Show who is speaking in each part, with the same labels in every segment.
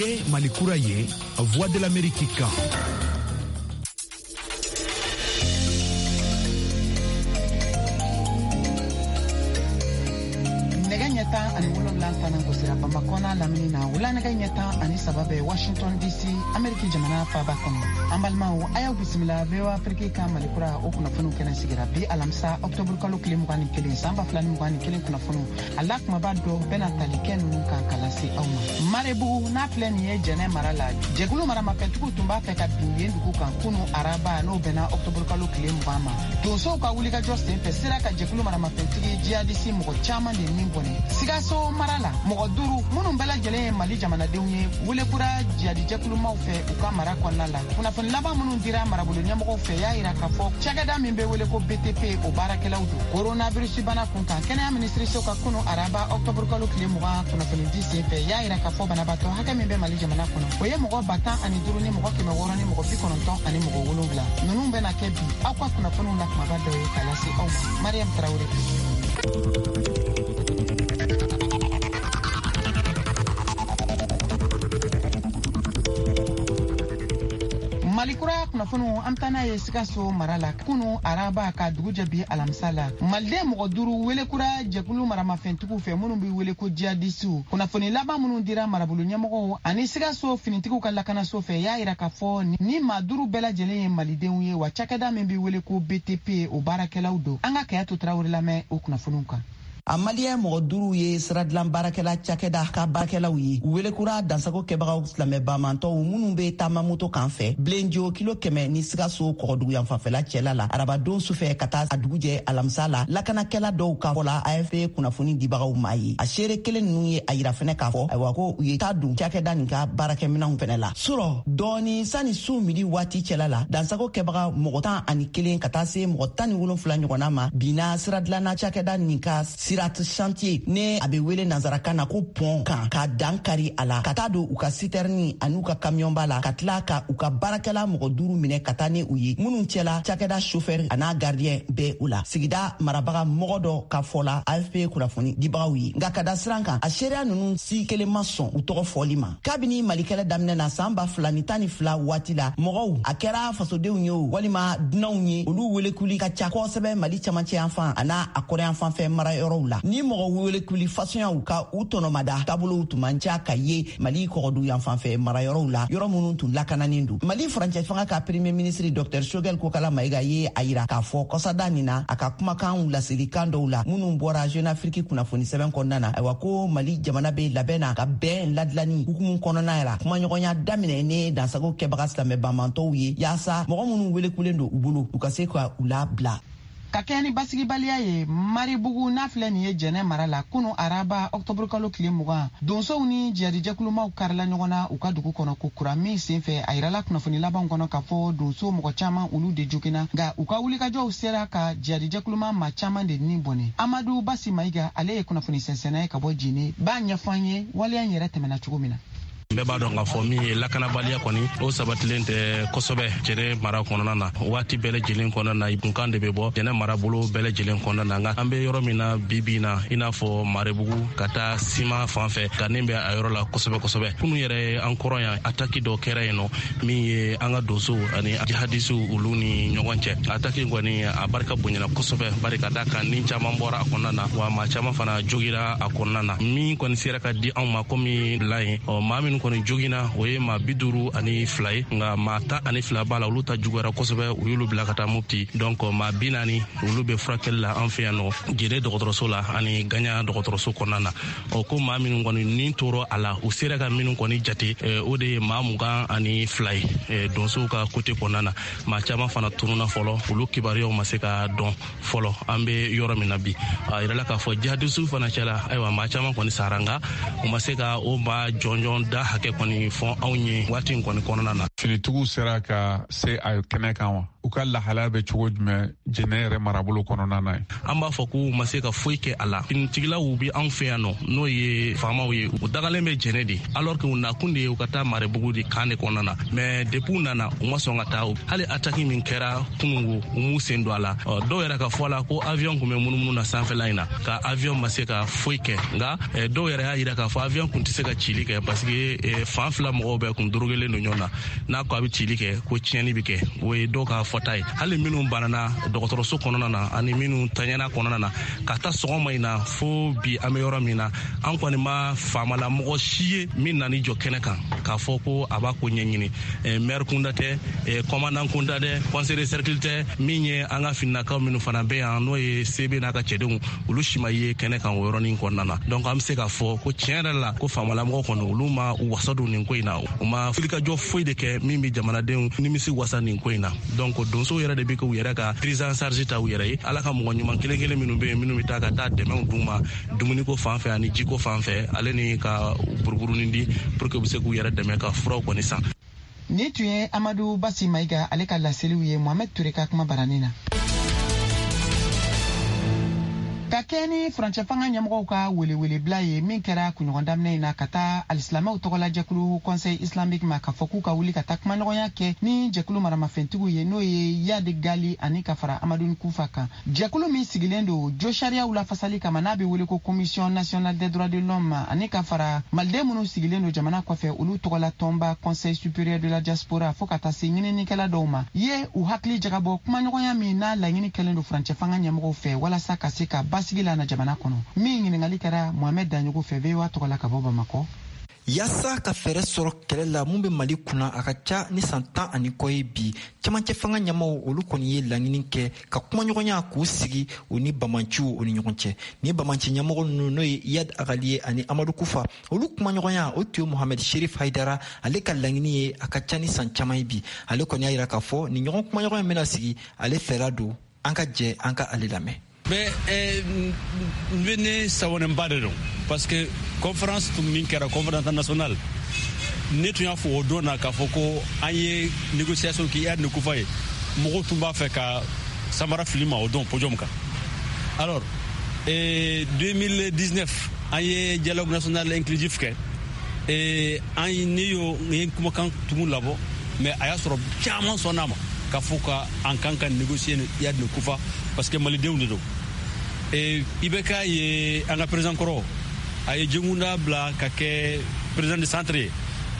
Speaker 1: Ye Mali kura ye, Voix de l'Amérique kan.
Speaker 2: Nɛgɛ ɲɛ 17 tanan gosira Bamakɔ n'a lamini na, wula nɛgɛ ɲɛ 13 bɛ Washington DC, Ameriki jamana faaba kɔnɔ. An balimaw, a y'aw bisimila VOA Afrique ka Mali kura o kunnafoniw kɛnɛ sigira bi alamisa ɔktɔburu kalo tile 21 san 2021 kunnafoniw. A la kumaba dɔ bɛna tali kɛ ninnu kan ka lase aw ma. Marebugu n'a filɛ nin ye Jɛnɛ mara la, jɛkulu maramafɛntigiw tun b'a fɛ ka bin yen dugu kan kunu araba, n'o bɛnna ɔktɔburu kalo tile 20 ma. Donsow ka wulikajɔ senfɛ sera ka jɛkulu maramafɛntigi jihadisi mɔgɔ caman de ni bɔnɛ. Sikaso mara la, mɔgɔ duuru minnu bɛɛ lajɛlen ye Mali jamanadenw ye, welekura jihadijɛkulumaw fɛ u ka mara kɔnɔna la. Kunnafoni laban minnu dira marabolo ɲɛmɔgɔw fɛ y'a yira k'a fɔ cakɛda min bɛ wele ko BTP, o baarakɛlaw don. Coronavirus bana kun kan, kɛnɛya minisiriso ka kunu araba ɔktɔburu kalo tile 20 kunnafonidi senfɛ y'a yira k'a fɔ banabaatɔ hakɛ min bɛ Mali jamana kɔnɔ, o ye mɔgɔ 10 5 ni mɔgɔ 600 ni mɔgɔ 97. Ninnu bɛna kɛ bi aw ka kunnafoniw la kumaba dɔ ye ka lase aw ma. Mariam Tarawele. Mali kura kunnafoniw, an bɛ taa n'a ye Sikaso mara la. Kunu araba ka dugu jɛ bi alamisa la, maliden mɔgɔ duuru welekura jɛkulu maramafɛntigiw fɛ minnu bɛ wele ko jihadisiw. Kunnafoni laban minnu dira marabolo ɲɛmɔgɔw ani Sikaso finitigiw ka lakanaso fɛ y'a yira k'a fɔ ni maa duuru bɛɛ lajɛlen ye malidenw ye, wa cakɛda min bɛ wele ko BTP, o baarakɛlaw don. An ka Kayatu Tarawele lamɛn o kunnafoniw kan.
Speaker 3: A maliyɛn mɔgɔ duuru ye siradilan baarakɛla cakɛda ka baarakɛlaw ye. U welekura dansago kɛbagaw silamɛ bamantɔw minnu be taama moto kan fɛ Bilenjo kilo 100 ni Sikaso kɔgɔduguyan fanfɛla cɛla la, arabadon sufɛ ka taa a dugujɛ alamisa la, lakanakɛla dɔw ka fɔ la AFP kunnafoni dibagaw ma ye. A seere kelen nunu ye a yira fɛnɛ k'a fɔ ayiwa ko u ye taa don cakɛda nin ka baarakɛminɛnw fɛnɛ la surɔ dɔɔni sani su midi waati cɛla la. Dansago kɛbaga mɔgɔ 11 ka taa se mɔgɔ 17 ɲɔgɔnna ma binna siradilanna cakɛda nin ka sirat chantier, ne a be wele nansarakan na ko pont kan, ka dan kari a la ka taa don u ka sitɛrini an'u ka kamiyɔnba la, ka tila ka u ka baarakɛla mɔgɔ duuru minɛ ka taa ni u ye, minnu cɛla cakɛda chauffeur an'a gardien bɛ u la, sigida marabaga mɔgɔ dɔ ka fɔ la AFP kunnafoni dibagaw ye. Nka ka da siran kan, a seereya nunu si kelen ma sɔn u tɔgɔ fɔli ma. Kabini Malikɛlɛ daminɛ na san 2012 waati la, mɔgɔw, a kɛra fasodenw ye o walima dunanw ye, olu welekuli ka ca kosɛbɛ Mali camancɛ yan fan an'a a kɔrɔyan fanfɛ marayɔrɔw la. Ni mɔgɔ welekuli fasɔnyaw ka u tɔnɔmada taabolow tun man ca ka ye Mali kɔgɔdu yan fanfɛ marayɔrɔw la, yɔrɔ minnu tun lakananen don. Mali furancɛ fanga ka premier ministre Dr Choguel Kokala Mayiga ye a yira k'a fɔ kɔsada nin na, a ka kumakanw laselikan dɔw la minnu bɔra Jeune Afrique kunnafoni sɛbɛn kɔnɔna na, ayiwa ko Mali jamana bɛ labɛn na ka bɛn ladilanni hukumu kɔnɔna la kumaɲɔgɔnya daminɛ ni dansago kɛbaga silamɛ banbantɔw ye, yaasa mɔgɔ minnu welekulen don u bolo, u ka se ka u labila.
Speaker 2: Ka kɛɲɛ ni basigibaliya ye Maribugu n'a filɛ nin ye Jɛnɛ mara la, kunu araba ɔktɔburu kalo tile 20, donsow ni jihadijɛkulumaw karila ɲɔgɔn na u ka dugu kɔnɔ ko kura min senfɛ. A yirala kunnafoni labanw kɔnɔ k'a fɔ donso mɔgɔ caman, olu de joginna, nka u ka wulikajɔw sera ka jihadijɛkuluma maa caman de ni bɔnɛ. Amadu Basi Mayiga, ale ye kunnafoni sɛnsɛnna ye ka bɔ Jene, b'a ɲɛfɔ an ye waleya in yɛrɛ tɛmɛna cogo min na.
Speaker 4: Bɛɛ b'a dɔn k'a fɔ min ye lakanabaliya kɔni, o sabatilen tɛ kosɛbɛ Jɛnɛ mara kɔnɔna na. Waati bɛɛ lajɛlen kɔnɔna na, kunkan de bɛ bɔ Jɛnɛ marabolo bɛɛ lajɛlen kɔnɔna na. Nka an bɛ yɔrɔ min na bi bi na, i n'a fɔ Marebugu ka taa Sima fan fɛ, gannen bɛ a yɔrɔ la kosɛbɛ kosɛbɛ. Kunu yɛrɛ, an kɔrɔ yan, ataki dɔ kɛra yen nɔ min ye an ka donsow ani jihadisiw olu ni ɲɔgɔn cɛ. Ataki kɔni, a barika bonyana kosɛbɛ, bari ka da kan ni caman bɔra a kɔnɔna na, wa maa caman fana jogira a kɔnɔna na. Min kɔni sera ka di anw ma komi la ye, ɔ maa minnu kɔni jogina, o ye maa 52 ye. Nka maa 12 b'a la, olu ta juguyara kosɛbɛ, u y'olu bila ka taa Mopti. Donc maa 40, olu bɛ furakɛli la an fɛ yan nɔ Jene dɔgɔtɔrɔso la ani Gaɲa dɔgɔtɔrɔso kɔnɔna na. Ɔ ko maa minnu kɔni nin tora a la, u sera ka minnu kɔni jate, o de ye maa 22 ye donsow ka côté kɔnɔna na. Maa caman fana tununa fɔlɔ, olu kibaruyaw ma se ka dɔn fɔlɔ. An bɛ yɔrɔ min na bi, a yirala k'a fɔ jihadisiw fana cɛla, ayiwa, maa caman kɔni sara, nka u ma se ka o maa jɔnjɔn da hakɛ kɔni fɔ anw ye waati in kɔni kɔnɔna na.
Speaker 5: Finitigiw sera ka se a kɛnɛ kan wa? U ka lahalaya bɛ cogo jumɛn Jɛnɛ yɛrɛ marabolo kɔnɔna na ye?
Speaker 4: An b'a fɔ k'u ma se ka foyi kɛ a la. Finitigilaw bi anw fɛ yan nɔ, n'o ye faamaw ye, u dagalen bɛ Jɛnɛ de, alors que u nakun de ye u ka taa Marebugu de kan de kɔnɔna na. Mais depuis u nana, u ma sɔn ka taa. Hali attaque min kɛra kunungo, u m'u sen don a la. Dɔw yɛrɛ ka fɔ a la ko avion kun bɛ munumunu na sanfɛla in na, ka avion ma se ka foyi kɛ. Nka dɔw yɛrɛ y'a yira k'a fɔ avion kun tɛ se ka cili kɛ, parce que fan fila mɔgɔw bɛɛ kun dorogelen don ɲɔgɔn na. N'a ko a bɛ cili kɛ, ko tiɲɛni bɛ kɛ. O ye dɔw ka fɔta ye. Hali minnu banana dɔgɔtɔrɔso kɔnɔna na ani minnu taɲɛna kɔnɔna na, ka taa sɔgɔma in na fo bi an bɛ yɔrɔ min na, an kɔni ma faamalamɔgɔ si ye min nan'i jɔ kɛnɛ kan k'a fɔ ko a b'a ko ɲɛɲini. Maire kunda tɛ, commandant kunda tɛ, conseiller de cercle tɛ, min ye an ka fininakaw minnu fana bɛ yan, n'o ye CB n'a ka cɛdenw, olu si ma ye kɛnɛ kan o yɔrɔnin kɔnɔna na. Donc an bɛ se k'a fɔ ko tiɲɛ yɛrɛ la, ko faamalamɔgɔ kɔni, olu ma u wasa don nin ko in na. U ma wulikajɔ foyi de kɛ min bɛ jamanadenw nimisi wasa nin ko in na. Donc donsow yɛrɛ de bɛ k'u yɛrɛ ka prise en charge ta u yɛrɛ ye. Ala ka mɔgɔ ɲuman kelen kelen minnu bɛ yen, minnu bɛ taa ka taa dɛmɛw d'u ma dumuniko fan fɛ ani jiko fan fɛ, ale ni ka buruburunin di pour que u bɛ se k'u yɛrɛ dɛmɛ ka furaw kɔni san.
Speaker 2: Ni tun ye Amadu Basi Mayiga ale ka laseliw ye Mohamed Ture ka kuma baranin na. Ka kɛ ni furancɛ fanga ɲɛmɔgɔw ka welewelebila ye min kɛra kunɲɔgɔn daminɛ in na ka taa alisilamɛw tɔgɔla jɛkulu Conseil islamique ma, k'a fɔ k'u ka wuli ka taa kumaɲɔgɔnya kɛ ni jɛkulu maramafɛntigiw ye, n'o ye Iyad Gali ani ka fara Amadou Kufa kan, jɛkulu min sigilen don jo sariyaw lafasali kama, n'a bɛ wele ko Commission nationale des droits de l'homme, ani ka fara maliden minnu sigilen don jamana kɔfɛ, olu tɔgɔla tɔnba Conseil supérieur de la diaspora, fo ka taa se ɲininikɛla dɔw ma ye u hakili jagabɔ kumaɲɔgɔnya min n'a laɲini kɛlen don furancɛ fanga ɲɛmɔgɔw fɛ walasa ka se ka basigi la na jamana kɔnɔ. Min ɲininkali kɛra Mohamed Daɲogo fɛ VOA tɔgɔ la ka bɔ Bamakɔ.
Speaker 6: Yaasa ka fɛɛrɛ sɔrɔ kɛlɛ la mun bɛ Mali kunna, a ka ca ni san 10 ani kɔ ye bi, camancɛ fanga ɲɛmaw, olu kɔni ye laɲini kɛ ka kumaɲɔgɔnya k'u sigi u ni bamanciw o ni ɲɔgɔn cɛ. Ni bamanci ɲɛmɔgɔ ninnu, n'o ye Iyad Agali ye ani Amadu Kufa, olu kumaɲɔgɔnya, o tun ye Mohamed Sherif Haidara ale ka laɲini ye a ka ca ni san caman ye bi. Ale kɔni y'a yira k'a fɔ ni ɲɔgɔn kumaɲɔgɔnya bɛna sigi, ale fɛla don. An ka jɛ an ka ale lamɛn.
Speaker 7: Mais n bɛ ne sawanenba de don, parce que conférence tun min kɛra, conférence internationale, ne tun y'a fɔ o don na k'a fɔ ko an ye négociation kɛ Iyad ni Kufa ye. Mɔgɔw tun b'a fɛ ka samara fili ma o don podium kan. Alors 2019, an ye dialogue national inclusif kɛ. An ne y'o n ye kumakan tugun labɔ, mais a y'a sɔrɔ caman sɔnn'a ma k'a fɔ ka an kan ka négocier ni Iyad ni Kufa, parce que malidenw de don. IBK ye an ka président kɔrɔ, a ye Jɛnkunda bila ka kɛ président de centre ye,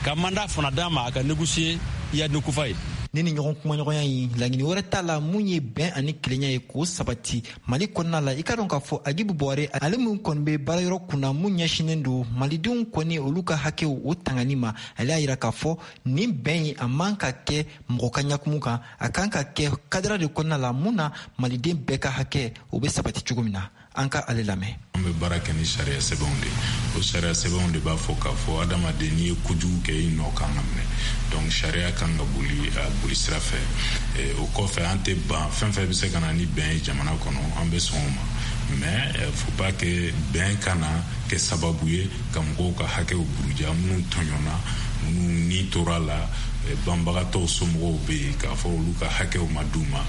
Speaker 7: ka mandat fana d'a ma a ka négocier Iyad ni Kufa ye.
Speaker 6: Ni ɲɔgɔn kumaɲɔgɔnya in, laɲini wɛrɛ t'a la mun ye bɛn ani kelenya ye k'o sabati Mali kɔnɔna la. I ka dɔn k'a fɔ Agibu Bɔre, ale min kɔni bɛ baarayɔrɔ kunna mun ɲɛsinen don malidenw kɔni olu ka hakɛw o tangani ma, ale y'a yira k'a fɔ nin bɛn in, a man ka kɛ mɔgɔ ka ɲakumu kan, a kan ka kɛ cadre de kɔnɔna la mun na maliden bɛɛ ka hakɛ o bɛ sabati cogo min na. An ka ale lamɛn.
Speaker 8: An bɛ baara kɛ ni sariya sɛbɛnw de. O sariya sɛbɛnw de b'a fɔ k'a fɔ adamaden, n'i ye kojugu kɛ, i nɔ kan ka minɛ. Donc sariya kan ka boli a boli sira fɛ. O kɔfɛ, an tɛ ban fɛn fɛn bɛ se ka na ni bɛn ye jamana kɔnɔ, an bɛ sɔn o ma. Mais faut pas que bɛn ka na kɛ sababu ye ka mɔgɔw ka hakɛw buruja, minnu tɔɲɔna, minnu ni tora la, banbagatɔw somɔgɔw bɛ yen, k'a fɔ olu ka hakɛw ma d'u ma.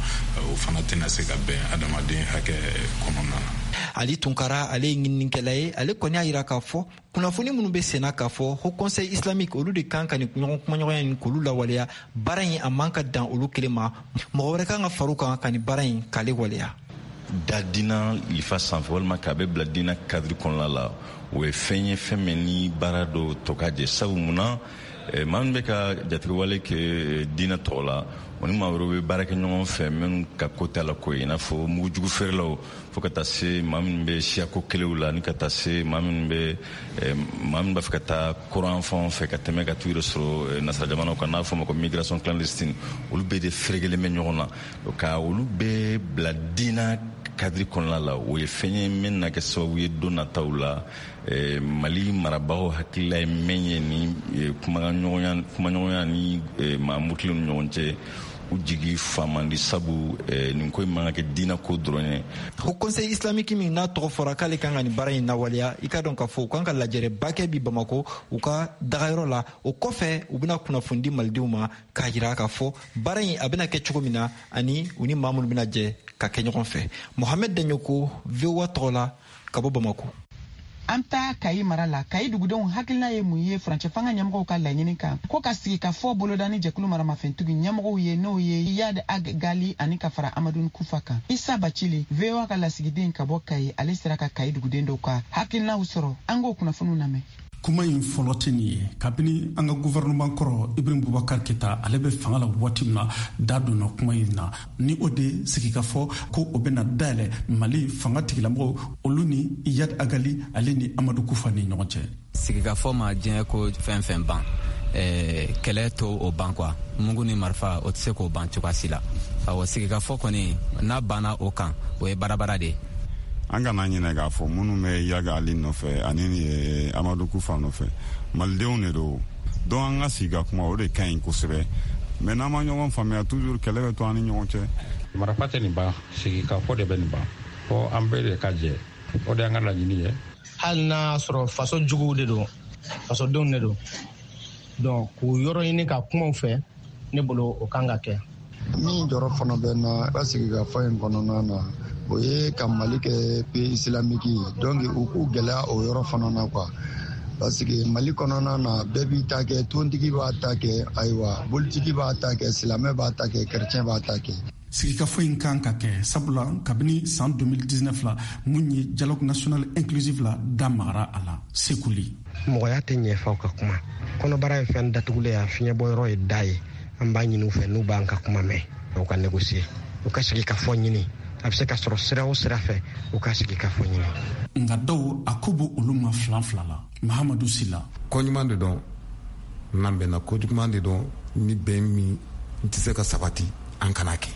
Speaker 8: O fana tɛna se ka bɛn adamaden hakɛ kɔnɔna na.
Speaker 6: Ali Tunkara, ale ye ɲininikɛla ye. Ale kɔni y'a yira k'a fɔ kunnafoni minnu bɛ senna k'a fɔ Haut Conseil islamique, olu de kan ka nin ɲɔgɔn kumaɲɔgɔnya in k'olu lawaleya, baara in a man ka dan olu kelen ma, mɔgɔ wɛrɛ kan ka far'u kan ka nin baara in k'ale waleya.
Speaker 9: Da dina lifa sanfɛ walima k'a bɛ bila dina cadre kɔnɔna la, o ye fɛn ye, fɛn min ni baara dɔ tɔ ka jɛ. Sabu munna maa min bɛ ka jatigɛwale kɛ diinɛ tɔgɔ la, o ni maa wɛrɛw bɛ baara kɛ ɲɔgɔn fɛ minnu ka ko t'a la ko ye, i n'a fɔ mugujugu feerelaw, fo ka taa se maa minnu bɛ siyako kɛlɛw la, ni ka taa se maa minnu bɛ maa minnu b'a fɛ ka taa kuran fanw fɛ ka tɛmɛ ka t'u yɛrɛ sɔrɔ nasara jamanaw kan, n'a fɔ ma ko migration clandestine. Olu bɛɛ de ferekelen bɛ ɲɔgɔn na. Ka olu bɛɛ bila diinɛ cadre kɔnɔna la, o ye fɛn ye min na kɛ sababu ye don nataw la, Mali marabagaw hakilila ye min ye ni kumaɲɔgɔnya ni maa murutilenw ni ɲɔgɔn cɛ. U jigi fa man di, sabu nin ko in man ka kɛ diinɛ ko dɔrɔn ye.
Speaker 6: Haut Conseil islamique min n'a tɔgɔ fɔra k'ale kan ka nin baara in lawaleya, i ka dɔn k'a fɔ u kan ka lajɛrɛba kɛ bi Bamako u ka dagayɔrɔ la. O kɔfɛ, u bɛna kunnafoni di malidenw ma k'a jira k'a fɔ baara in a bɛna kɛ cogo min na, ani u ni maa minnu bɛna jɛ ka kɛ ɲɔgɔn fɛ. Mohamed Daɲoko, VOA tɔgɔ la, ka bɔ Bamako.
Speaker 2: An taa Kayi mara la. Kayi dugudenw hakilina ye mun ye furancɛ fanga ɲɛmɔgɔw ka laɲini kan ko ka sigi ka fɔ boloda ni jɛkulu maramafɛntigi ɲɛmɔgɔw ye, n'o ye Iyad Ag Gali ani ka fara Amadou Kufa kan? Isa Bacili, VOA ka lasigiden ka bɔ Kayi, ale sera ka Kayi duguden dɔw ka hakilinaw sɔrɔ. An k'o kunnafoniw lamɛn.
Speaker 10: Kuma in fɔlɔ tɛ nin ye. Kabini an ka gouvernement kɔrɔ Ibrahim Bubakar Keta, ale bɛ fanga la waati min na, da donna kuma in na, ni o de sigikafɔ ko o bɛna dayɛlɛ Mali fanga tigilamɔgɔw olu ni Iyad Agali, ale ni Amadu Kufa ni ɲɔgɔn cɛ.
Speaker 11: Sigikafɔ ma diɲɛ ko fɛn fɛn ban, kɛlɛ to o ban quoi. Mugu ni marifa, o tɛ se k'o ban cogoya si la. Awɔ, sigikafɔ kɔni, n'a banna o kan, o ye baarabara de ye.
Speaker 12: An kana ɲinɛ k'a fɔ minnu bɛ Iyad Ali nɔfɛ ani Amadu Kufa nɔfɛ, malidenw de don. Donc an ka sigi ka kuma, o de ka ɲi kosɛbɛ. Mais n'an ma ɲɔgɔn faamuya, toujours kɛlɛ bɛ to an ni ɲɔgɔn cɛ.
Speaker 13: Marifa tɛ nin ban, sigikafɔ de bɛ nin ban. Fo an bɛɛ de ka jɛ, o de y'an ka laɲini ye.
Speaker 14: Hali n'a sɔrɔ faso juguw de don, fasodenw de don, donc k'u yɔrɔ ɲini ka kumaw fɛ, ne bolo o kan ka kɛ.
Speaker 15: Min jɔrɔ fana bɛ na ka sigikafɔ in kɔnɔna na, o ye ka Mali kɛ pays islamique ye. Donc u k'u gɛlɛya o yɔrɔ fana na quoi, parce que Mali kɔnɔna na, bɛɛ b'i ta kɛ. Tontigi b'a ta kɛ, ayiwa, bolitigi b'a ta kɛ, silamɛ b'a ta kɛ, chrétien b'a ta kɛ.
Speaker 10: Sigikafɔ in kan ka kɛ sabula kabini san 2019 la, mun ye dialogue national inclusive la, da magara a la sekuli.
Speaker 16: Mɔgɔya tɛ ɲɛfaw ka kuma. Kɔnɔbara ye fɛn datugulen ye, a fiɲɛbɔyɔrɔ ye da ye. An b'a ɲini u fɛ, n'u b'an ka kuma mɛn, u ka négocier, u ka sigi ka fɔ ɲini. A bɛ se ka sɔrɔ sira o sira fɛ, u ka sigi ka fɔ ɲini.
Speaker 10: Nka dɔw a ko b'o olu ma filan fila la. Mahamadu Sila.
Speaker 17: Ko ɲuman de dɔn n'an bɛnna, ko juguman de dɔn ni bɛn min tɛ se ka sabati, an kana kɛ.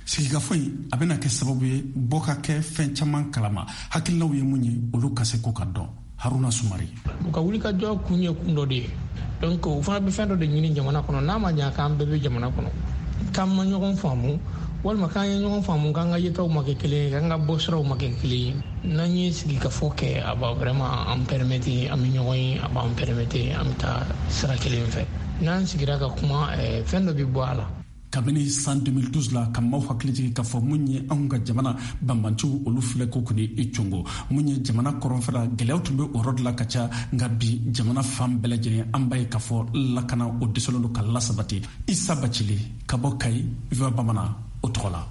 Speaker 10: Sigikafɔ in a bɛna kɛ sababu ye bɔ ka kɛ fɛn caman kalama, hakilinaw ye mun ye, olu ka se ko ka dɔn. Haruna Sumari.
Speaker 18: U ka wulikajɔ kun ye kun dɔ de ye. Donc u fana bɛ fɛn dɔ de ɲini jamana kɔnɔ. N'a ma ɲa k'an bɛɛ bɛ jamana kɔnɔ, k'an ma ɲɔgɔn faamu, walima k'an ye ɲɔgɔn faamu, k'an ka yetaw ma kɛ kelen ye, k'an ka bɔsiraw ma kɛ kelen ye, n'an ye sigikafɔ kɛ, a b'a vraiment an permettre an bɛ ɲɔgɔn ye, a b'an permettre an bɛ taa sira kelen fɛ. N'an sigira ka kuma, fɛn dɔ bɛ bɔ a la.
Speaker 10: Kabini san 2012 la, ka maaw hakili jigin k'a fɔ mun ye anw ka jamana banbanciw olu filɛ ko kɔni i congo, mun ye jamana kɔrɔnfɛla gɛlɛyaw tun bɛ o yɔrɔ de la ka ca. Nka bi, jamana fan bɛɛ lajɛlen, an b'a ye k'a fɔ lakana o dɛsɛlen don ka lasabati. Isa Bacili ka bɔ Kayi, VOA Bamanan o tɔgɔ la.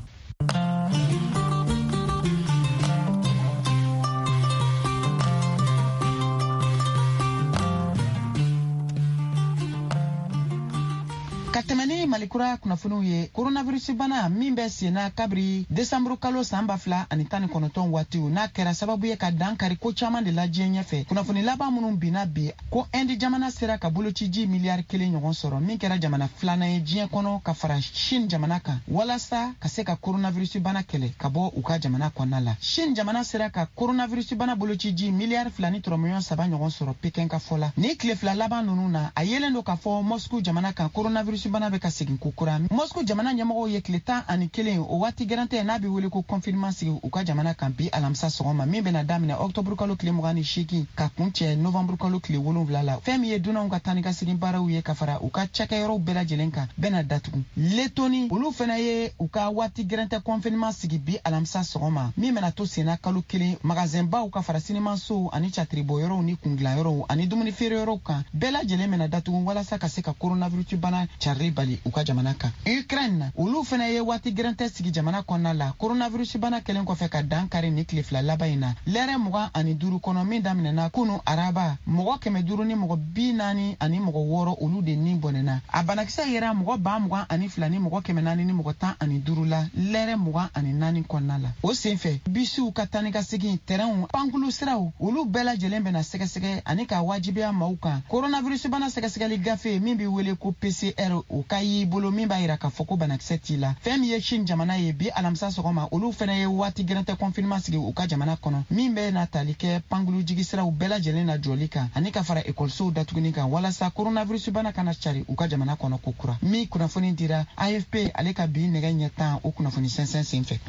Speaker 2: Ka tɛmɛ ni Malikura kunnafoniw ye, coronavirus bana min bɛ senna kabiri desanburu kalo san 2019 waatiw, n'a kɛra sababu ye ka dan kari ko caman de la diɲɛ ɲɛfɛ, kunnafoni laban minnu binna bi ko Indi jamana sera ka bolociji miliyari 1 ɲɔgɔn sɔrɔ, min kɛra jamana filanan ye diɲɛ kɔnɔ ka fara Chine jamana kan, walasa ka se ka coronavirus bana kɛlɛ ka bɔ u ka jamana kɔnɔna la. Chine jamana sera ka coronavirus bana bolociji miliyari 2 ni tɔrɔmɔɲɔ 3 ɲɔgɔn sɔrɔ, Pekin ka fɔ la. Ni tile 2 laban ninnu na, a yelen don k'a fɔ Moscou jamana kan, coronavirus bana bɛ ka segin kokura. Moscou jamana ɲɛmɔgɔw ye tile 11, o waati gɛrɛntɛ n'a bɛ wele ko confinement, sigi u ka jamana kan bi alamisa sɔgɔma, min bɛna daminɛ ɔktɔburu kalo tile 28 ka kuncɛ novanburu kalo tile 7 la. Fɛn min ye dunanw ka taa ni ka segin baaraw ye ka fara u ka cakɛyɔrɔw bɛɛ lajɛlen kan, bɛna datugu. Letoni, olu fana ye u ka waati gɛrɛntɛ confinement sigi bi alamisa sɔgɔma, min bɛna to senna kalo 1. Magazɛnbaw ka fara sinimansow ani catiribɔyɔrɔw ni kungilanyɔrɔw ani dumuni feereyɔrɔw kan, bɛɛ lajɛlen bɛna datugu walasa ka se ka coronavirus bana carili bali u ka jamana kan. Ukraine, olu fana ye waati gɛrɛntɛ sigi jamana kɔnɔna la, coronavirus bana kɛlen kɔfɛ ka dan kari ni tile 2 laban in na. Lɛrɛ 25 kɔnɔ min daminɛna kunu araba, mɔgɔ 546, olu de ni bɔnɛna. A banakisɛ yera mɔgɔ 22 000 ni mɔgɔ 415 la lɛrɛ 24 kɔnɔna la. O senfɛ, bisiw ka taa ni ka segin, tɛrɛnw, pankulu siraw, olu bɛɛ lajɛlen bɛna sɛgɛsɛgɛ ani ka wajibiya maaw kan coronavirus bana sɛgɛsɛgɛli gafe min bɛ wele ko PCR, o ka ye. k'i bolo min b'a yira k'a fɔ ko banakisɛ t'i la. Fɛn min ye Chine jamana ye, bi alamisa sɔgɔma, olu fɛnɛ ye waati gɛrɛntɛ confinement sigi u ka jamana kɔnɔ, min bɛ na tali kɛ pankulu jigisiraw bɛɛ lajɛlen na jɔli kan ani ka fara ekɔlisow datuguni kan walasa coronavirus bana kana cari u ka jamana kɔnɔ kokura. Min kunnafoni dira AFP ale ka bi nɛgɛ ɲɛ 10 o kunnafoni sɛnsɛn senfɛ.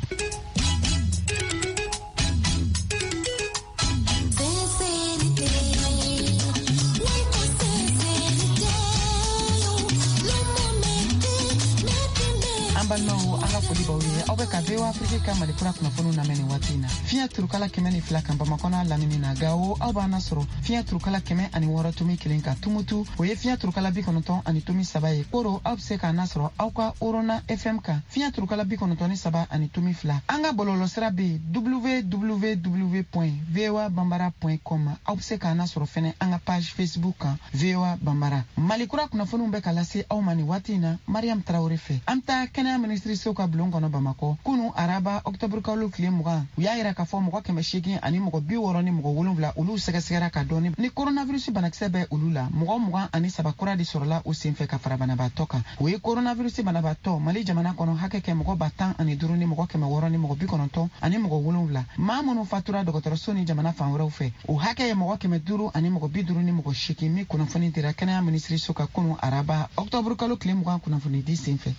Speaker 2: An balimaw, an ka foli b'aw ye. Aw bɛ ka VOA Afrique ka Mali kura kunnafoniw lamɛn nin waati in na fiɲɛ turukala 102 kan Bamakɔ n'a lamini na. Gawo, aw b'an nasɔrɔ fiɲɛ turukala 106.1 kan. Tumutu, o ye fiɲɛ turukala 90.3 ye. Koro, aw bɛ se k'an nasɔrɔ aw ka Orona FM kan fiɲɛ turukala 93.2. An ka bɔlɔlɔsira bɛ www voa bambara com. Aw bɛ se k'an nasɔrɔ fɛnɛ an ka page Facebook kan, VOA Bambara. Mali kura kunnafoniw bɛ ka lase aw ma nin waati in na Mariam Tarawele fɛ. An bɛ taa kɛnɛya minisiriso ka bulon kɔnɔ Bamakɔ. Kunu araba ɔkutɔburu kalo tile 20, u y'a yira k'a fɔ mɔgɔ 800 ani mɔgɔ 67 olu sɛgɛsɛgɛra ka dɔn ni coronavirus banakisɛ bɛ olu la. Mɔgɔ 23 kura de sɔrɔla o senfɛ ka fara banabaatɔ kan. O ye coronavirus banabaatɔ Mali jamana kɔnɔ hakɛ kɛ mɔgɔ 15000 ni mɔgɔ 600 ni mɔgɔ 97. Maa minnu fatura dɔgɔtɔrɔso ni jamana fan wɛrɛw fɛ, o hakɛ ye mɔgɔ 500 ani mɔgɔ 58, min kunnafoni dira kɛnɛya minisiriso ka kunu araba ɔkutɔburu kalo tile 20 kunnafoni di senfɛ.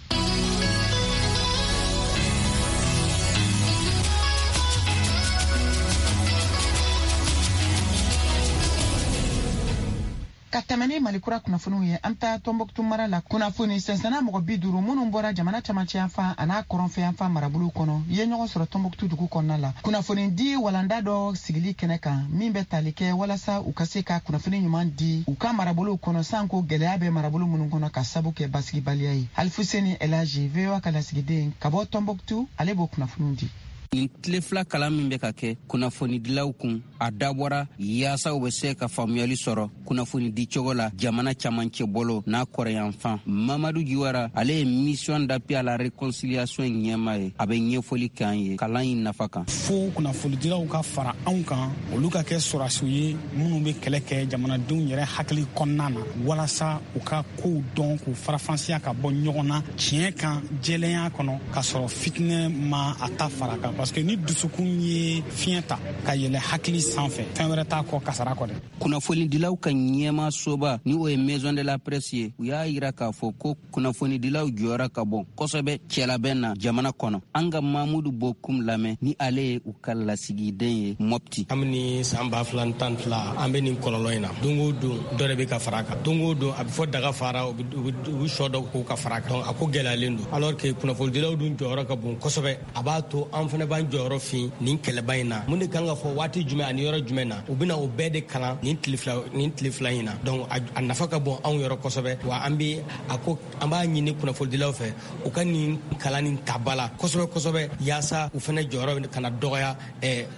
Speaker 2: Ka tɛmɛ ni Mali kura kunnafoniw ye, an bɛ taa Tɔnbɔkutu mara la. Kunnafoni sɛnsɛnna mɔgɔ 50 minnu bɔra jamana camancɛ yanfan an'a kɔrɔnfɛ yanfan marabolow kɔnɔ ye ɲɔgɔn sɔrɔ Tɔnbɔkutu dugu kɔnɔna la kunnafoni di walanda dɔ sigili kɛnɛ kan, min bɛ tali kɛ walasa u ka se ka kunnafoni ɲuman di u ka marabolow kɔnɔ, sanko gɛlɛya bɛ marabolo minnu kɔnɔ ka sabu kɛ basigibaliya ye. Alifuseni Elaji, VOA ka lasigiden ka bɔ Tɔnbɔkutu, ale b'o kunnafoniw di.
Speaker 19: Nin tile fila kalan min bɛ ka kɛ kunnafonidilaw kun, a dabɔra yaasa u bɛ se ka faamuyali sɔrɔ kunnafoni di cogo la jamana camancɛ bolo n'a kɔrɔyanfan. Mamadu Jiwara, ale ye mission d'appui à la réconciliation ɲɛmaa ye, a bɛ ɲɛfɔli k'an ye kalan in nafa kan.
Speaker 20: Fo kunnafonidilaw ka fara anw kan, olu ka kɛ sɔrɔdasiw ye minnu bɛ kɛlɛ kɛ jamanadenw yɛrɛ hakili kɔnɔna na, walasa u ka kow dɔn, k'u farafansiya ka bɔ ɲɔgɔn na tiɲɛ kan, jɛlenya kɔnɔ, k'a sɔrɔ fitinɛ ma a ta fara kan. Parce que ni dusukun ye fiɲɛ ta ka yɛlɛ hakili sanfɛ, fɛn wɛrɛ t'a kɔ kasara kɔ dɛ.
Speaker 19: Kunnafonidilaw ka ɲɛmaasoba, ni o ye Maison de la Presse ye, u y'a yira k'a fɔ ko kunnafonidilaw jɔyɔrɔ ka bon kosɛbɛ cɛlabɛn na jamana kɔnɔ. An ka Mamudu Bokum lamɛn, ni ale ye u ka lasigiden ye Mopti.
Speaker 21: Kabini san 2012, an bɛ nin kɔlɔlɔ in na. Don o don dɔ de bɛ ka fara a kan. Don o don a bɛ fɔ daga fara, u bɛ sɔ dɔ ko ka fara a kan. Donc a ko gɛlɛyalen don. Alors que kunnafonidilaw dun jɔyɔrɔ ka bon kosɛbɛ. A b'a to an fana b'an jɔyɔrɔ fin nin kɛlɛba in na. Mun de kan ka fɔ waati jumɛn ani yɔrɔ jumɛn na, u bɛna o bɛɛ de kalan nin tile fila in na. Donc a nafa ka bon anw yɔrɔ kosɛbɛ. Wa an bɛ a ko an b'a ɲini kunnafonidilaw fɛ u ka nin kalan nin ta ba la kosɛbɛ kosɛbɛ, yaasa u fana jɔyɔrɔ kana dɔgɔya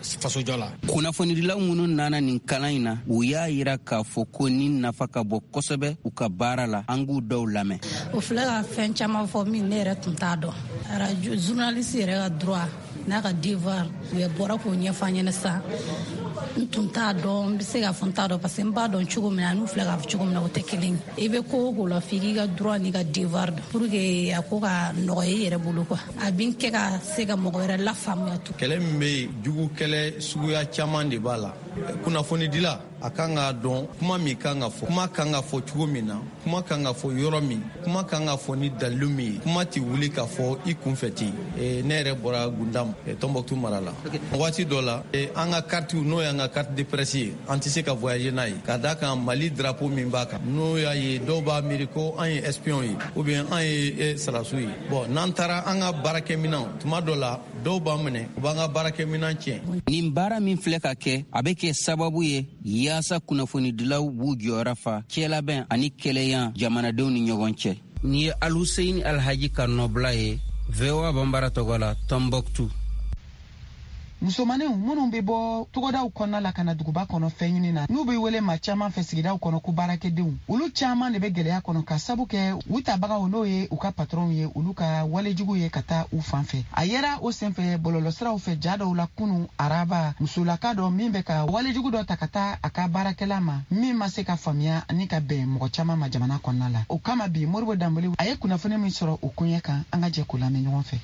Speaker 21: fasojɔ la.
Speaker 19: Kunnafonidilaw minnu nana nin kalan in na, u y'a yira k'a fɔ ko nin nafa ka bon kosɛbɛ u ka baara la. An k'u dɔw lamɛn.
Speaker 22: O filɛ ka fɛn caman fɔ min ne yɛrɛ tun t'a dɔn. Radio journaliste yɛrɛ ka droit n'a ka devoir, u bɔra k'o ɲɛfɔ an ɲɛna sisan. N tun t'a dɔn, n bɛ se k'a fɔ n t'a dɔn, parce que n b'a dɔn cogo min na n'u filɛ k'a fɔ cogo min na, o tɛ kelen ye. I bɛ ko o ko la, f'i k'i ka droit n'i ka devoir dɔn pour que a ko ka nɔgɔya i yɛrɛ bolo quoi. A bɛ kɛ ka se ka mɔgɔ wɛrɛ lafaamuya tun.
Speaker 23: Kɛlɛ min bɛ yen, jugu kɛlɛ suguya caman de b'a la. Kunnafonidila a kan k'a dɔn kuma min kan ka fɔ, kuma kan ka fɔ cogo min na, kuma kan ka fɔ yɔrɔ min, kuma kan ka fɔ ni dalilu min ye. Kuma tɛ wuli k'a fɔ i kunfɛ ten. Ne yɛrɛ bɔra Gundam, Tɔnbɔkutu mara la. Waati dɔ la, an ka carte, n'o y'an ka carte de presse ye, an tɛ se ka voyager n'a ye, ka d'a kan Mali drapeau min b'a kan, n'o y'a ye dɔw b'a miiri ko an ye espion ye ou bien an ye sɔrɔdasiw ye. Bon, n'an taara an ka baarakɛminɛnw, tuma dɔ la dɔw b'an minɛ, u b'an ka baarakɛminɛn tiɲɛ.
Speaker 19: Nin baara min filɛ ka kɛ, a bɛ kɛ sababu ye yaasa kunnafonidilaw b'u jɔyɔrɔ fa cɛlabɛn ani kɛlɛya jamanadenw ni ɲɔgɔn cɛ. Nin ye Alhuseini Alhaji ka nɔbila ye VOA Bambara tɔgɔ la, Tombouctou.
Speaker 2: Musomaninw minnu bɛ bɔ togodaw kɔnɔna la ka na duguba kɔnɔ fɛn ɲini na, n'u bɛ wele maa caman fɛ sigidaw kɔnɔ ko baarakɛdenw, olu caman de bɛ gɛlɛya kɔnɔ ka sabu kɛ u tabagaw, n'o ye u ka patɔrɔnw ye, olu ka walejugu ye ka taa u fan fɛ. A yera o senfɛ bɔlɔlɔsiraw fɛ ja dɔw la kunu araba, musolaka dɔ min bɛ ka walejugu dɔ ta ka taa a ka baarakɛla ma, min ma se ka faamuya ani ka bɛn mɔgɔ caman ma jamana kɔnɔna la. O kama bi, Modibo Danbele a ye kunnafoni min sɔrɔ o koɲɛ kan, an ka jɛ k'o lamɛn ɲɔgɔn fɛ.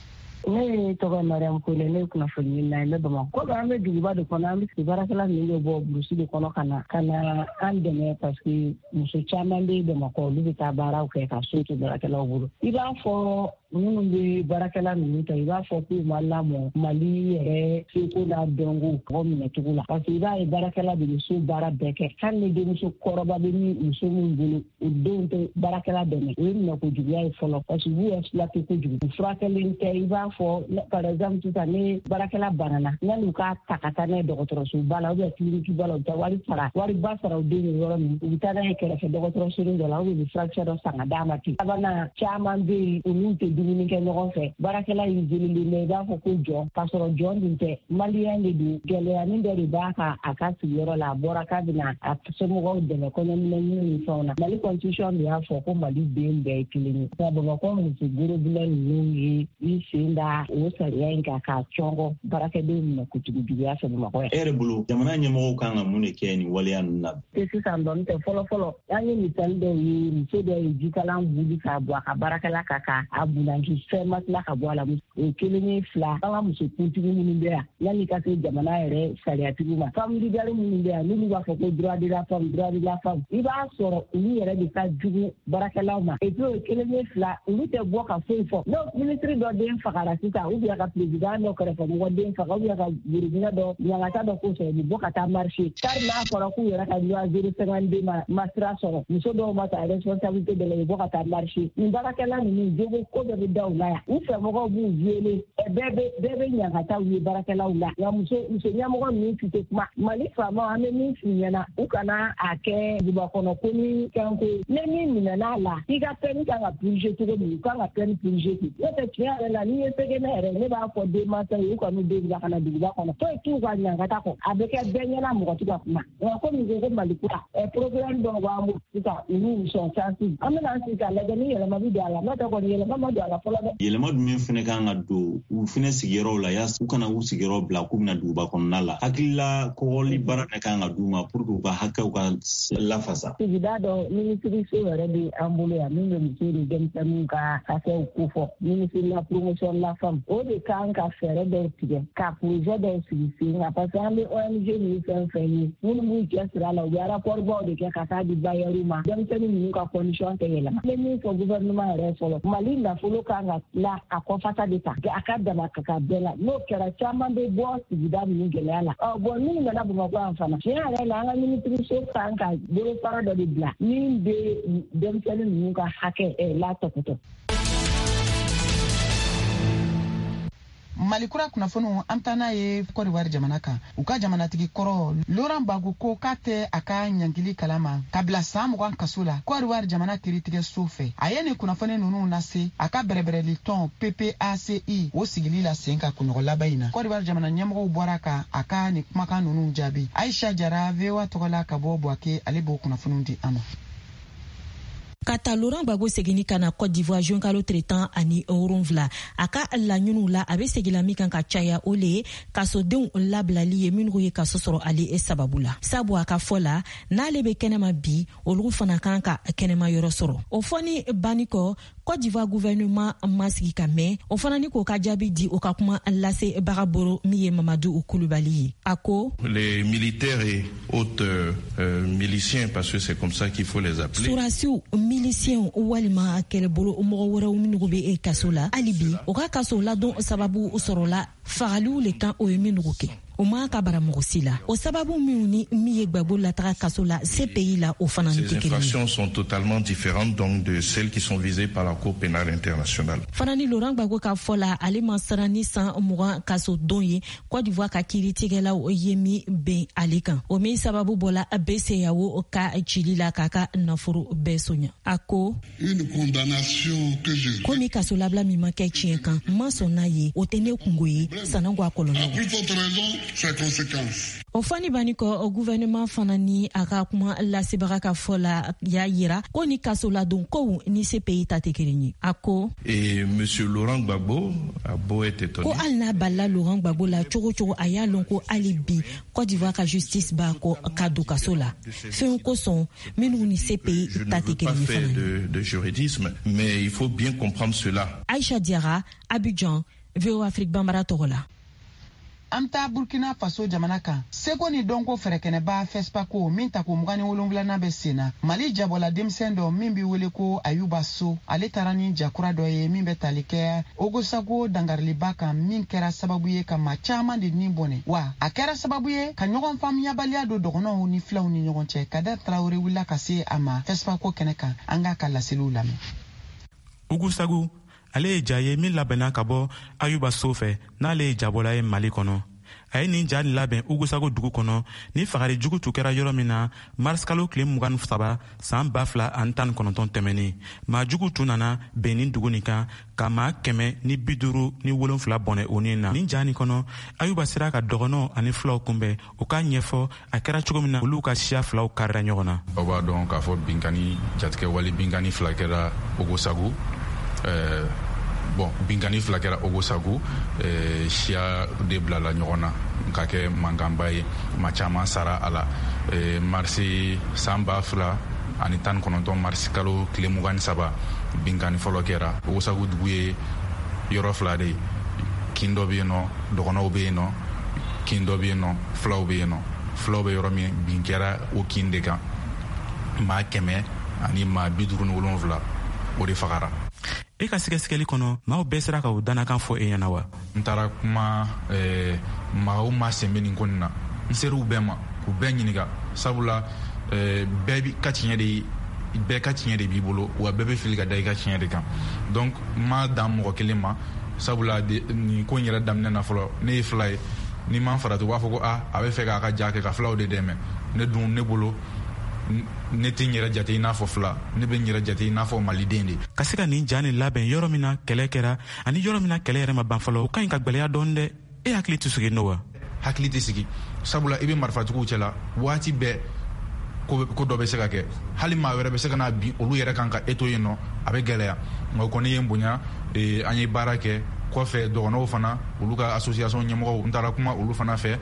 Speaker 1: Ne tɔgɔ Mariam Kone, ne ye kunnafoni ɲinina ye, ne Bamakɔ. Komi an bɛ duguba de kɔnɔ, an bɛ sigi baarakɛla ninnu bɛ bɔ burusi de kɔnɔ ka na an dɛmɛ, parce que muso caman bɛ Bamakɔ, olu bɛ taa baaraw kɛ ka so to baarakɛlaw bolo. I b'a fɔ minnu bɛ baarakɛla ninnu ta, i b'a fɔ k'u ma lamɔ Mali yɛrɛ seko n'a dɔnko mɔgɔ minɛcogo la, parce que i b'a ye baarakɛla de bɛ so baara bɛɛ kɛ. Hali ni denmuso kɔrɔba bɛ min muso min bolo, o denw tɛ baarakɛla dɛmɛ. O ye minɛko juguya ye fɔlɔ, parce que u b'u exploiter kojugu, u furakɛlen tɛ. I b'a fɔ par exemple sisan, ni baarakɛla banana, yanni u k'a ta ka taa n'a ye dɔgɔtɔrɔsoba la ou bien clinique ba la, u bɛ taa wari sara, wariba sara u den ye yɔrɔ min, u bɛ taa n'a ye kɛrɛfɛ dɔgɔtɔrɔsonin dɔ la, ou bien u bɛ furakisɛ dɔ san ka d'a ma ten. Sabanan, caman bɛ yen, olu tɛ dumuni kɛ ɲɔgɔn fɛ. Baarakɛla isolé bɛ, i b'a fɔ ko jɔn, k'a sɔrɔ jɔn dun tɛ, maliyɛn de don. Gɛlɛyanin dɔ de b'a kan a ka sigiyɔrɔ la, a bɔra k'a bɛna a somɔgɔw dɛmɛ kɔɲɔminɛ ni fɛnw na. Mali constitution de y'a fɔ ko Mali den bɛɛ ye kelen ye, nka Bamakɔ muso gorobinɛ ninnu ye i sen da o sariya in kan k'a cɔngɔ baarakɛdenw minɛ kojugu juguya fɛ Bamakɔ yan.
Speaker 3: E yɛrɛ bolo, jamana ɲɛmɔgɔw kan ka mun de kɛ nin waleya ninnu na?
Speaker 1: Tɛ sisan dɔn tɛ, fɔlɔ fɔlɔ, an ye misali dɔw ye. Muso dɔ ye jikalan wuli k'a bɔ a ka baarakɛla kan ka a bunaki, fɛn ma tila ka bɔ a la. O ye kelen ye. Fila, an ka muso kuntigi minnu bɛ yan, yanni ka se jamana yɛrɛ sariyatigiw ma, femme leader minnu bɛ yan, n'olu b'a fɔ ko droit de la femme, droit de la femme, i b'a sɔrɔ olu yɛrɛ de ka jugu baarakɛlaw ma. Et puis o ye kelen ye. Fila, olu tɛ bɔ ka foyi fɔ. N'o minisiri dɔ den fagara sisan, ou bien ka président dɔ kɛrɛfɛ mɔgɔ den faga, ou bien ka gorobinɛ dɔ ɲangata dɔ ko sɔrɔ, u bɛ bɔ ka taa marcher. Kari n'a fɔra k'u yɛrɛ ka loi 052 ma sira sɔrɔ, muso dɔw ma ta responsabilité dɔ la, u bɛ bɔ ka taa marcher. Nin baarakɛla ninnu jogo ko bɛɛ bɛ da u la yan, u fɛmɔgɔw b'u violer, bɛɛ bɛ ɲangataw ye baarakɛlaw la, nka muso ɲɛmɔgɔ ninnu si tɛ kuma. Mali faamaw, an bɛ min f'u ɲɛna, u kana a kɛ duguba kɔnɔ ko ni fɛn ko ye. Ni min minɛn'a la, i ka peine kan ka purger cogo min, u kan ka peine purger ten. N'o tɛ, tiɲɛ yɛrɛ la, n'i ye se kɛ ne yɛrɛ, ne b'a fɔ denmansa ye, u kan'u den bila ka na duguba kɔnɔ. Foyi t'u ka ɲangata kɔ, a bɛ kɛ bɛɛ ɲɛna, mɔgɔ tɛ ka kuma. Nka komi ko Mali kura problème dɔw b'an bolo sisan, olu sont sensibles, an bɛna an sigi k'a lajɛ ni yɛlɛma bɛ don a la. N'o tɛ kɔni, yɛlɛma ma don a la fɔlɔ dɛ.
Speaker 3: Yɛlɛma jumɛn fɛnɛ kan ka don u fɛnɛ sigiyɔrɔw la, yaasa u kana u sigiyɔrɔ bila k'u bɛna duguba kɔnɔna la? Hakilila kɔgɔli baara de kan ka d'u ma pour que u ka hakɛw ka lafasa.
Speaker 1: Sigida dɔ minisiriso yɛrɛ bɛ an bolo yan min bɛ muso ni denmisɛnninw ka hakɛw kofɔ, ministre la promotion de la femme. O de kan ka fɛɛrɛ dɔw tigɛ ka projet dɔw sigi sen kan, parce que an bɛ ONG ninnu fɛn fɛn ye, minnu b'u cɛ siri a la, u bɛ rapport baw de kɛ ka taa di bailleurs ma. Denmisɛnnin ninnu ka condition tɛ yɛlɛma. N bɛ min fɔ gouvernement yɛrɛ fɔlɔ, Mali nafolo kan ka tila a kɔfasa de ta a ka dama ka ka bɛɛ la. N'o kɛra, caman bɛ bɔ sigida ninnu gɛlɛya la. Ɔ bɔn, n'u nana Bamakɔ yan fana, tiɲɛ yɛrɛ la, an ka minisiriso kan ka bolofara dɔ de bila min bɛ denmisɛnnin ninnu ka hakɛ latɔpɔtɔ.
Speaker 2: Mali kura kunnafoniw, an taa n'a ye Kɔdiwari jamana kan. U ka jamanatigi kɔrɔ Laurent Gbagbo ko k'a tɛ a ka ɲangili kalama ka bila saan 20 kaso la Kɔdiwari jamana kiritigɛso fɛ. A ye nin kunnafoni nunu lase a ka bɛrɛbɛrɛli tɔn PPACI o sigili la sen ka kunɲɔgɔn laban in na. Kɔdiwari jamana ɲɛmɔgɔw bɔra ka a ka nin kumakan nunu jaabi. Aisha Jara, VOA tɔgɔ la ka bɔ Buwake, ale b'o kunnafoniw di an ma.
Speaker 5: Ka ta Laurent Gbagbo seginni ka na Côte d'Ivoire juin kalo tile 17, a ka laɲiniw la, a be segila min kan ka caya, o le ye kasodenw labilali ye minnu ye kaso sɔrɔ ale sababu la. Sabu a ka fɔ la, n'ale be kɛnɛma bi, olu fana kan ka kɛnɛma yɔrɔ sɔrɔ. O fɔni banni kɔ, Côte d'Ivoire gouvernement ma sigi ka mɛn, o fana ni k'o ka jaabi di. O ka kuma lase baga boro min ye Mamadu Kulubali ye, a ko:
Speaker 24: Les militaires et autres miliciens, parce que c'est comme ça qu'il faut les appeler.
Speaker 5: Surasiw, milisiɲɛw walima kɛlɛbolo mɔgɔ wɛrɛw minnu bɛ kaso la hali bi, o ka kaso ladon sababu sɔrɔla fagaliw le kan. O ye minnu kɛ, o ma ka bara mɔgɔ si la. O sababu minnu ni min ye Gbagbo lataga kaso la CPI la, o fana ni
Speaker 24: Ces
Speaker 5: tɛ kelen ye.
Speaker 24: infractions sont totalement différentes donc de celles qui sont visées par la Cour pénale internationale.
Speaker 5: Fana ni Laurent Gbagbo ka fɔ la, ale ma siran ni san 20 kaso don ye Côte d'Ivoire ka kiiritigɛlaw ye min ben ale kan, o min sababu bɔla BCEAO ka cili la k'a ka nafolo bɛɛ soɲa. A ko:
Speaker 25: Une condamnation que je
Speaker 5: Komi kasolabila min ma kɛ tiɲɛ kan, n ma sɔn n'a ye, o tɛ ne kungo ye. Sanango a kɔlɔlɔw. O fɔni banni kɔ, gouvernement fana ni a ka kuma lasebaga ka fɔ la y'a yira ko ni kasoladon kow ni CPI ta tɛ kelen ye. A ko
Speaker 24: Et monsieur Laurent Gbagbo a beau être étonné.
Speaker 5: Ko hali n'a balila Laurent Gbagbo la cogo cogo, a y'a lɔn ko hali bi Côte d'Ivoire ka justice b'a kɔ ka don kaso la fɛnw kosɔn minnu ni CPI ta tɛ kelen ye fana.
Speaker 24: De juridisme, mais il faut bien comprendre cela.
Speaker 5: Aïcha Diarra, Abidjan, VOA Afrique Bambara tɔgɔ la.
Speaker 2: An bɛ taa Burkina Faso jamana kan. Seko ni dɔnko fɛrɛkɛnɛba FESPACO min tako 27nan bɛ sen na, Mali jabɔla denmisɛn dɔ min bɛ wele ko Ayuba So, ale taara ni jakura dɔ ye min bɛ tali kɛ Ogosago dangariliba kan, min kɛra sababu ye ka maa caman de ni bɔnɛ, wa a kɛra sababu ye ka ɲɔgɔn faamuyabaliya don dɔgɔnɔw ni filaw ni ɲɔgɔn cɛ. Kader Traoré wulila ka se a ma FESPACO kɛnɛ kan. An k'a ka laseliw lamɛn.
Speaker 4: Ogosago, ale ye ja ye min labɛnna ka bɔ Ayuba So fɛ, n'ale ye jabɔla ye Mali kɔnɔ. A ye nin ja nin labɛn Ogosago dugu kɔnɔ ni fagari jugu tun kɛra yɔrɔ min na marisikalo tile 23 san 2019 tɛmɛnen. Maa jugu tun nana bɛn nin dugu nin kan ka maa 157 bɔnɛ o ni na. Nin ja nin kɔnɔ, Ayuba sera ka dɔgɔnɔw ani filaw kunbɛn, u k'a ɲɛfɔ a kɛra cogo min na olu ka siya filaw karira ɲɔgɔn na.
Speaker 7: Aw b'a dɔn k'a fɔ binkani jatigɛ wale binkani fila kɛra Ogosago. Bon, binkani fila kɛra Ogosago, siya de bilala ɲɔgɔn na ka kɛ mankanba ye, maa caman sara a la. Marisi san 2019, marisi kalo tile 23, binkani fɔlɔ kɛra. Ogosago dugu ye yɔrɔ fila de ye, kin dɔ bɛ yen nɔ dɔgɔnɔw bɛ yen nɔ, kin dɔ bɛ yen nɔ filaw bɛ yen nɔ. Filaw bɛ yɔrɔ min, bin kɛra o kin de kan, maa 157 o de fagara.
Speaker 4: E ka sɛgɛsɛgɛli kɔnɔ, maaw bɛɛ sera ka o dannakan fɔ e ɲɛna wa?
Speaker 7: N taara kuma maa o maa sen bɛ nin ko nin na, n ser'u bɛɛ ma k'u bɛɛ ɲininka, sabula bɛɛ ka tiɲɛ de, bɛɛ ka tiɲɛ de b'i bolo, wa bɛɛ bɛ fili ka da i ka tiɲɛ de kan. Donc n ma dan mɔgɔ kelen ma, sabula nin ko in yɛrɛ daminɛ na fɔlɔ, ne ye fila ye, ni ma farati u b'a fɔ ko a bɛ fɛ k'a ka ja kɛ ka filaw de dɛmɛ. Ne dun, ne bolo, ne tɛ n yɛrɛ jate i n'a fɔ fila, ne bɛ n yɛrɛ jate i n'a fɔ maliden de.
Speaker 4: Ka se ka nin ja nin labɛn yɔrɔ min na kɛlɛ kɛra ani yɔrɔ min na kɛlɛ yɛrɛ ma ban fɔlɔ, o ka ɲi ka gwɛlɛya dɔɔni dɛ. E hakili tɛ sigi n'o wa?
Speaker 7: Hakili tɛ sigi, sabula i bɛ marifatigiw cɛla waati bɛɛ, ko dɔ bɛ se ka kɛ, hali maa wɛrɛ bɛ se ka na bin olu yɛrɛ kan ka e to yen nɔ, a bɛ gɛlɛya. Nka o kɔni ye n bonya, an ye baara kɛ kɔfɛ. Dɔgɔnɔw fana, olu ka association ɲɛmɔgɔw, n taara kuma olu fana fɛ,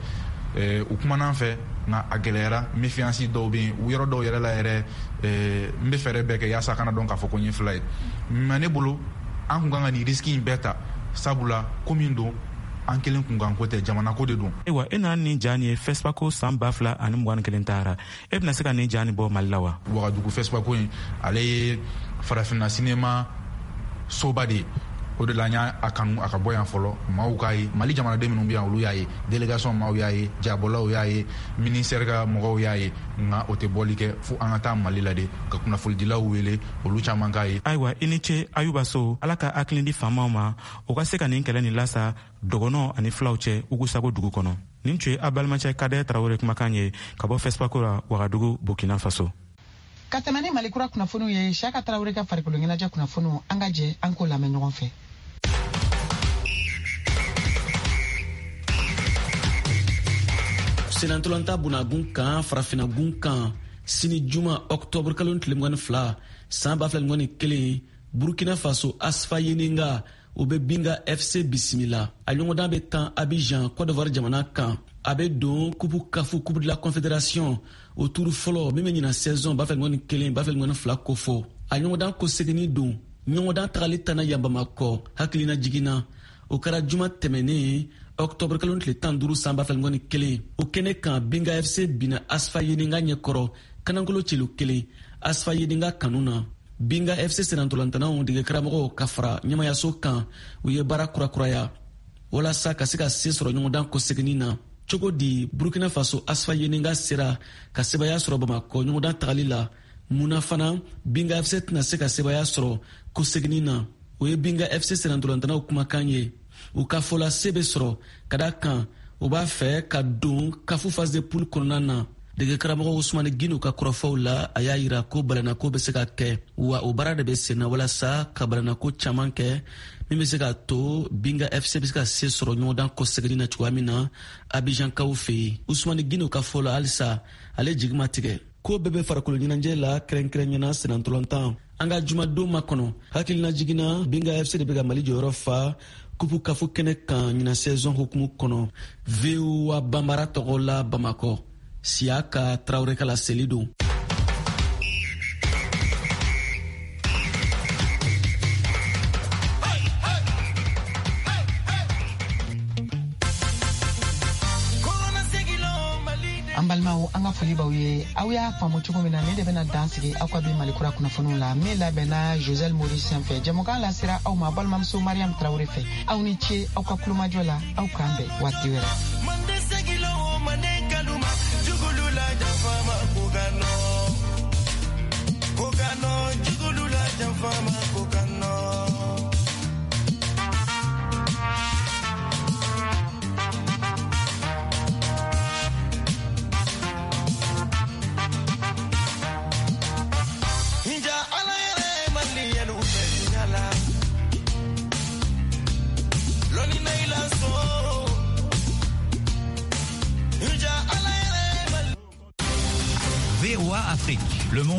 Speaker 7: u kumana an fɛ, nka a gɛlɛyara. Méfiance dɔw bɛ yen yɔrɔ dɔw yɛrɛ la yɛrɛ, n bɛ fɛɛrɛ bɛɛ kɛ yaasa kana dɔn k'a fɔ ko n ye fila ye. Mais ne bolo, an kun kan ka nin risque in bɛɛ ta, sabula ko min don, an kelen kunkan ko tɛ, jamana ko de don.
Speaker 4: Ayiwa, e nana nin ja nin ye FESPACO san 2021 taara, e bɛna se ka nin ja nin bɔ Mali la wa?
Speaker 7: Wagadugu FESPACO in, ale ye farafinna sinema soba de ye. O de la an y'a kanu a ka bɔ yan fɔlɔ, maaw k'a ye, Mali jamanaden minnu bɛ yan olu y'a ye, délégation maaw y'a ye, jabɔlaw y'a ye, ministère ka mɔgɔw y'a ye, nka o tɛ bɔli kɛ fo an ka taa Mali la de ka kunnafonidilaw wele, olu caman k'a ye.
Speaker 4: Ayiwa, i ni ce Ayuba So. Ala ka hakili di faamaw ma, u ka se ka nin kɛlɛ nin lasa dɔgɔnɔ ani filaw cɛ Ogosago dugu kɔnɔ. Nin tun ye a balimacɛ Kader Traoré kumakan ye ka bɔ FESPACO la Wagadugu, Burkina Faso.
Speaker 2: Ka tɛmɛ ni Mali kura kunnafoniw ye, Siyaka Tarawele ka farikolo ɲɛnajɛ kunnafoniw, an ka jɛ an k'o lamɛn ɲɔgɔn fɛ.
Speaker 8: Senantolanta bunagun kan, farafinagun kan, sini juma octobre kalo tile 22 san 2021, Burkina Faso Asfa Yennenga o bɛ Binga FC bisimila. A ɲɔgɔndan bɛ tan Abidjan, Côte d'Ivoire jamana kan. A bɛ don kupu kafu, Coupe de la Confédération, o turu fɔlɔ min bɛ ɲina saison 2021 2022 kofɔ. A ɲɔgɔndan kɔseginni don. Ɲɔgɔndan tagali tanna yan Bamakɔ hakilina jiginna. O kɛra juma tɛmɛnen octobre kalo tile 15 san 2021. O kɛnɛ kan, Binga FC binna Asfa Yennenga ɲɛkɔrɔ kanankolo celu kelen Asfa Yennenga kanu na. Binga FC senantolantanaw degekaramɔgɔw ka fara ɲɛmayaso kan, u ye baara kurakuraya walasa ka se ka se sɔrɔ ɲɔgɔndan kɔseginni na. Cogo di Burkina Faso Asfa Yennenga sera ka sebaya sɔrɔ Bamakɔ ɲɔgɔndan tagali la? Mun na fana Binga FC tɛna se ka sebaya sɔrɔ kɔseginni na? O ye Binga FC senantolantanaw kumakan ye. U ka fɔla se bɛ sɔrɔ ka da kan u b'a fɛ ka don kafu phase de poule kɔnɔna na. Degekaramɔgɔ Usumani Gino ka kɔrɔfɔw la, a y'a yira ko balannako bɛ se ka kɛ, wa o baara de bɛ senna walasa ka balannako caman kɛ min bɛ se k'a to Binga FC bɛ se ka se sɔrɔ ɲɔgɔndan kɔseginni na cogoya min na Abijankaw fɛ yen. Usumani Gino ka fɔ la, halisa ale jigi ma tigɛ. Ko bɛɛ bɛ farikolo ɲɛnajɛ la, kɛrɛnkɛrɛnyana sennantolatan. An ka jumadon makɔnɔ hakililajigin na, Binga FC de bɛ ka Mali jɔyɔrɔ fa kupu kafo kɛnɛ kan ɲinan saison hukumu kɔnɔ. VOA Banbara tɔgɔ la Bamakɔ, Siyaka Tarawele ka laseli don.
Speaker 2: An balimaw, an ka foli b'aw ye. Aw y'a faamu cogo min na, ne de bɛna dan sigi aw ka bi Malikura kunnafoniw la min labɛnna Josɛl Morisɛn fɛ. Jɛmukan lasera aw ma balimamuso Mariam Tarawele fɛ. Aw ni ce aw ka kulomajɔ la. Aw k'an bɛn waati wɛrɛ.